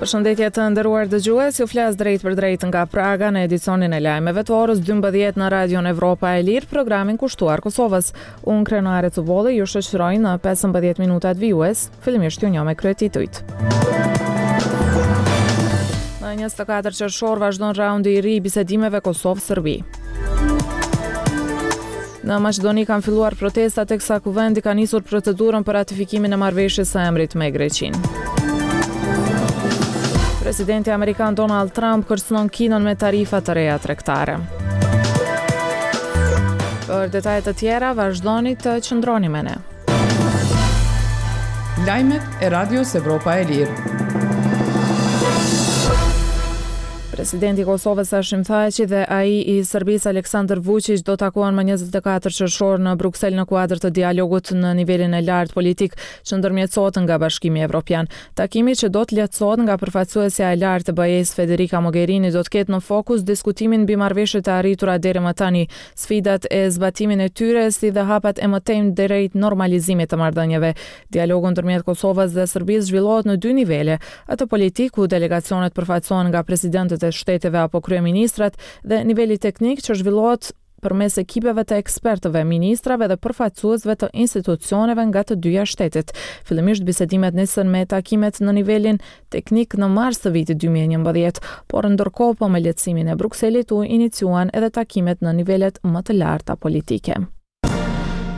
Përshëndetje të nderuar dëgjues, ju flas drejtpërdrejt nga Praga në edicionin e lajmeve të orës 12 në Radion Evropa e Lirë, programin kushtuar Kosovës. Unë Krenare Cubolli ju shoqëroj në 15 minutat vijues, fillimisht ju njoh me kryetitujt. Në 24 qershor vazhdon raundi i ri i bisedimeve Kosovë-Serbi. Në Maqedoni kanë filluar protesta teksa Kuvendi ka nisur procedurën për ratifikimin e marrëveshjes së emrit me Greqinë. Presidenti amerikan Donald Trump kërcënon Kinën me tarifa të reja tregtare. Për detaje të tjera, vazhdoni të qëndroni me ne. Lajmet e Radios Evropa e Lirë. Presidenti i Kosovës Hashim Thaçi dhe ai i Serbisë Aleksandar Vuçiq do takohen më 24 qershor në Bruksel në kuadër të dialogut në nivelin e lartë politik që ndërmjetësohet nga Bashkimi Evropian. Takimi që do të lehtësohet nga përfaqësuesja e lartë e BE-së Federica Mogherini do të ketë në fokus diskutimin mbi marrëveshjet e arritura deri më tani, sfidat e zbatimin e tyre si dhe hapat e mëtejmë drejt normalizimit të marrëdhënieve. Dialogu ndërmjet Kosovës dhe Serbisë zhvillohet në dy nivele, atë politik ku delegacionet përfaqësohen nga presidentët e shteteve apo kryeministrat dhe niveli teknik që zhvillohet përmes ekipeve të ekspertëve, ministrave dhe përfaqësuesve të institucioneve nga të dyja shtetet. Fillimisht bisedimet nisën me takimet në nivelin teknik në mars të vitit 2011, por ndërkohë po me lehtësimin e Brukselit u iniciuan edhe takimet në nivelet më të larta politike.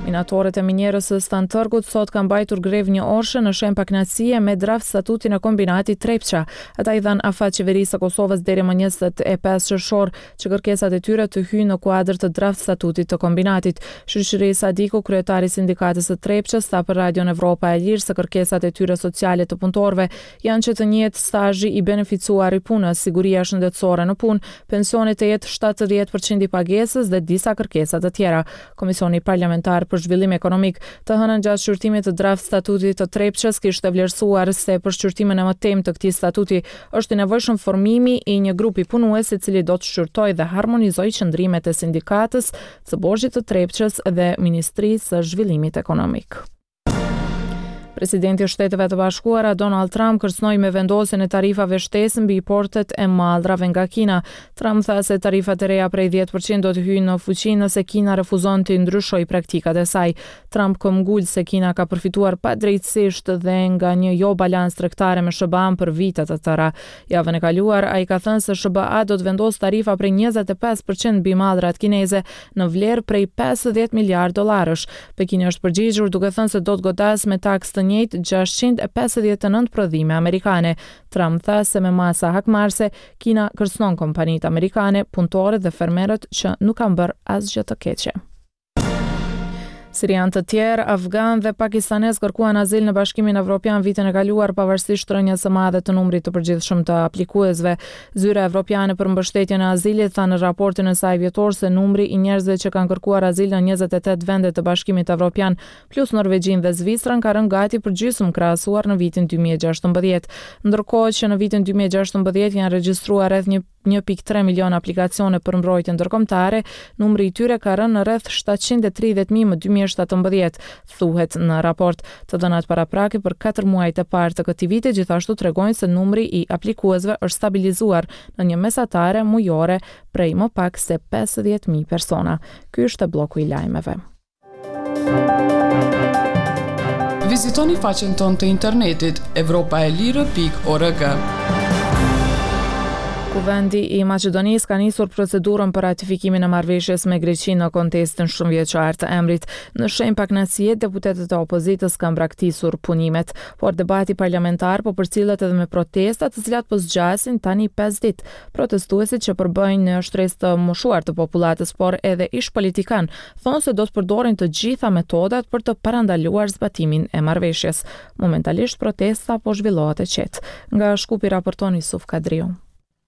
Minatorët e minierës së Stantërgut sot kanë mbajtur grevë njëorëshe në shenjë pakënaqësie me draft statutin e kombinatit Trepça. Ata i dhanë afat qeverisë së Kosovës deri më 25 qershor që kërkesat e tyre të hyjnë në kuadër të draft statutit të kombinatit. Shyqyri Sadiku, kryetar i sindikatës së Trepçës, tha për Radion Evropa e Lirë se kërkesat e tyre sociale të punëtorëve janë që të njihet stazhi i beneficuar i punës, siguria shëndetësore në punë, pensioni të jetë 70 për qind i pagesës dhe disa kërkesa të tjera. Komisioni Parlamentar për Zhvillim Ekonomik, të hënën gjatë shqyrtimit të draft statutit të Trepçës kishte vlerësuar se për shqyrtimin e mëtejmë të këtij statuti është i nevojshëm formimi i një grupi punues i cili do të shqyrtojë dhe harmonizojë qëndrimet e sindikatës së borxhit të Trepçës dhe Ministrisë së Zhvillimit Ekonomik. Presidenti i Shteteve të Bashkuara, Donald Trump, kërcënoi me vendosjen e tarifave shtesë mbi importet e mallrave nga Kina. Trump tha se tarifat e reja prej 10% do të hyjnë në fuqi nëse Kina refuzon të ndryshojë praktikat e saj. Trump këmbgul se Kina ka përfituar padrejtësisht dhe nga një jo balancë tregtare me SHBA-n për vite të tëra. Javën e kaluar, ai ka thënë se SHBA do të vendosë tarifa prej 25% mbi mallrat kineze në vlerë prej 50 miliardë dollarësh. Pekini është përgjigjur duke thënë se do të godasë me taksë të njëjtë 659 prodhime amerikane. Trump tha se me masa hakmarrëse, Kina kërcënon kompanitë amerikane, punëtorët dhe fermerët që nuk kanë bërë asgjë të keqe. Sirianë të tjerë, afganë dhe pakistanezë kërkuan azil në Bashkimin Evropian vitin e kaluar pavarësisht rënies së madhe të numrit të përgjithshëm të aplikuesve. Zyra Evropiane për Mbështetjen e Azilit tha në raportin e saj vjetor se numri i njerëzve që kanë kërkuar azil në 28 vende të Bashkimit Evropian plus Norvegjinë dhe Zvicrën ka rënë gati për gjysmë krahasuar në vitin 2016. Ndërkohë që në vitin 2016 janë regjistruar rreth 1.3 milion aplikacione për mbrojtje ndërkombëtare, numri i tyre ka rënë në rreth 730.000 më 2017, thuhet në raport. Të dhënat paraprake për 4 muajt e parë të këtij viti gjithashtu tregojnë se numri i aplikuesve është stabilizuar në një mesatare mujore prej më pak se 50.000 persona. Ky ishte blloku i lajmeve. Vizitoni faqen tonë të internetit evropaelire.org. Kuvendi i Maqedonisë ka nisur procedurën për ratifikimin e marrëveshjes me Greqinë në kontestin shumëvjeçar të emrit. Në shenjë pakënaqësie, deputetët e opozitës kanë braktisur punimet, por debati parlamentar po përcillet edhe me protesta, të cilat po zgjasin tani 5 ditë. Protestuesit që përbëjnë një shtresë të moshuar të popullatës, por edhe ish politikanë, thonë se do të përdorin të gjitha metodat për të parandaluar zbatimin e marrëveshjes. Momentalisht protesta po zhvillohet e qetë. Nga Shkupi raporton Isuf Kadriu.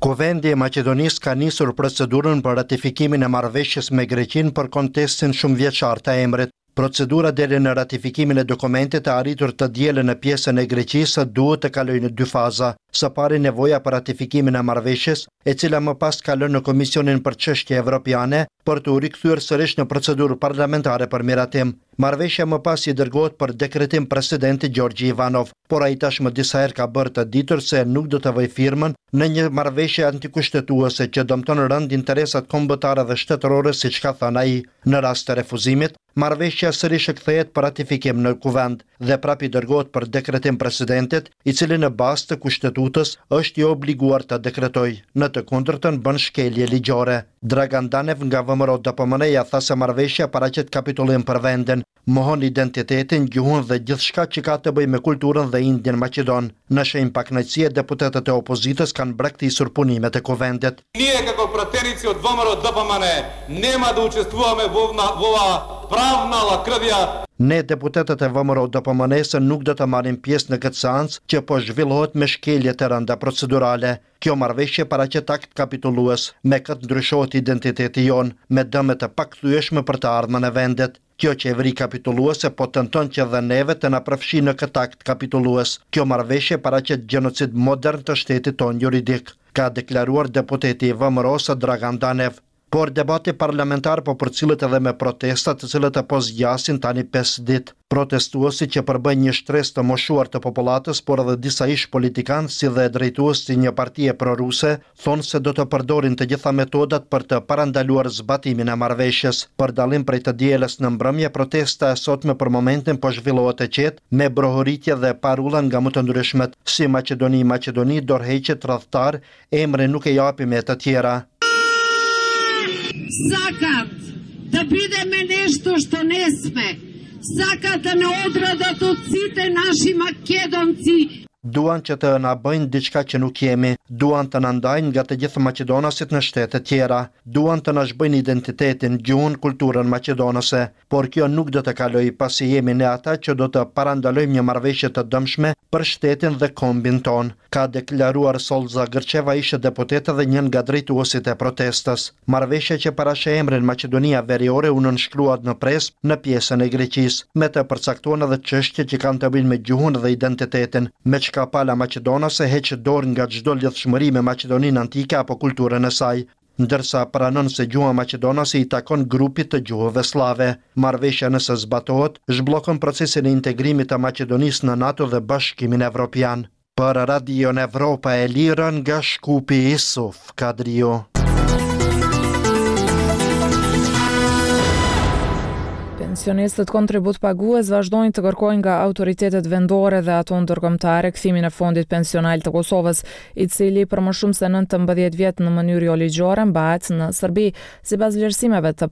Kuvendi i Maqedonisë ka nisur procedurën për ratifikimin e marrëveshjes me Greqinë për kontestin shumëvjeçar të emrit. Procedura deri në ratifikimin e dokumentit të arritur të dielën në pjesën e Greqisë duhet të kalojë në dy faza. Së pari nevoja për ratifikimin e marrëveshjes, e cila më pas kalon në Komisionin për Çështje Evropiane për t'u rikthyer sërish në procedurë parlamentare për miratim. Marrëveshja më pas i dërgohet për dekretim presidentit Gjorgji Ivanov, por ai tashmë disa herë ka bërë të ditur se nuk do të vëjë firmën në një marrëveshje antikushtetuese që dëmton rëndë interesat kombëtare dhe shtetërore siç ka thënë ai. Në rast të refuzimit, marrëveshja sërish kthehet për ratifikim në Kuvend dhe prapë i dërgohet për dekretim presidentit, i cili në bazë të Kushtetutës është i obliguar të dekretojë, në të kundërtën bën shkelje ligjore. Dragan Danev nga VMRO-DPMNE-ja tha se marrëveshja paraqet kapitullim për vendin, mohon identitetin, gjuhën dhe gjithçka që ka të bëjë me kulturën dhe indin maqedon. Në shenjë pakënaqësie deputetët e opozitës kanë braktisur punimet e Kuvendit. Ние како пратеници од ВМРО ДПМН нема да учествуваме во во оваа правна лакрдија. Ne deputetët e VMRO-DPMNE-së nuk do të marrim pjesë në këtë seancë që po zhvillohet me shkelje të rënda procedurale. Kjo marrëveshje paraqet akt kapitullues, me këtë ndryshohet identiteti jonë, me dëme të pakthyeshme për të ardhmen e vendit. Kjo qeveri kapitulluese po tenton që dhe neve të na përfshijë në këtë akt kapitullues. Kjo marrëveshje paraqet gjenocid modern të shtetit tonë juridik, ka deklaruar deputeti i VMRO-së Dragan Danev. Por debati parlamentar po përcillet edhe me protesta të cilët po zgjasin tani pesë ditë. Protestuesit që përbëjnë një shtresë të moshuar të popullatës, por edhe disa ish-politikanë si dhe drejtues të një partie proruse, thonë se do të përdorin të gjitha metodat për të parandaluar zbatimin e marrëveshjes. Për dallim prej të dielës në mbrëmje, protesta e sotme për momentin po zhvillohet e qetë, me brohoritje dhe parulla nga më të ndryshmet, si Maqedoni, Maqedoni, dorëheqje, tradhtar, emrin nuk e japim e të tjera. Сакат да бидеме нешто што не сме. Сакат да не одрадат од сите наши македонци. Duan që të na bëjnë diçka që nuk jemi, duan të na ndajnë nga të gjithë maqedonasit në shtete tjera, duan të na zhbëjnë identitetin, gjuhën, kulturën maqedonase, por kjo nuk do të kalojë pasi jemi ne ata që do të parandalojmë një marrëveshje të dëmshme për shtetin dhe kombin tonë, ka deklaruar Sollza Gërçeva ish-deputete dhe një nga drejtuesit e protestës. Marrëveshja që parasheh emrin Maqedonia Veriore u nënshkrua në Prespë në pjesën e Greqisë. Me të përcaktohen edhe çështje që kanë të bëjnë me gjuhën dhe identitetin, me çka pala maqedonase heq dorë nga çdo lidhshmëri me Maqedoninë antike apo kulturën e saj, ndërsa pranon se gjuha maqedonase i takon grupit të gjuhëve sllave. Marrëveshja nëse zbatohet, zhbllokon procesin e integrimit të Maqedonisë në NATO dhe Bashkimin Evropian. Për Radion Evropa e Lirë nga Shkupi Isuf Kadriu. Pensionistët kontributpagues vazhdojnë të kërkojnë nga autoritetet vendore dhe ato ndërkombëtare kthimin e fondit pensional të Kosovës, i cili për më shumë se 19 vjet në mënyrë joligjore mbahet në Serbi. Sipas vlerësimeve të.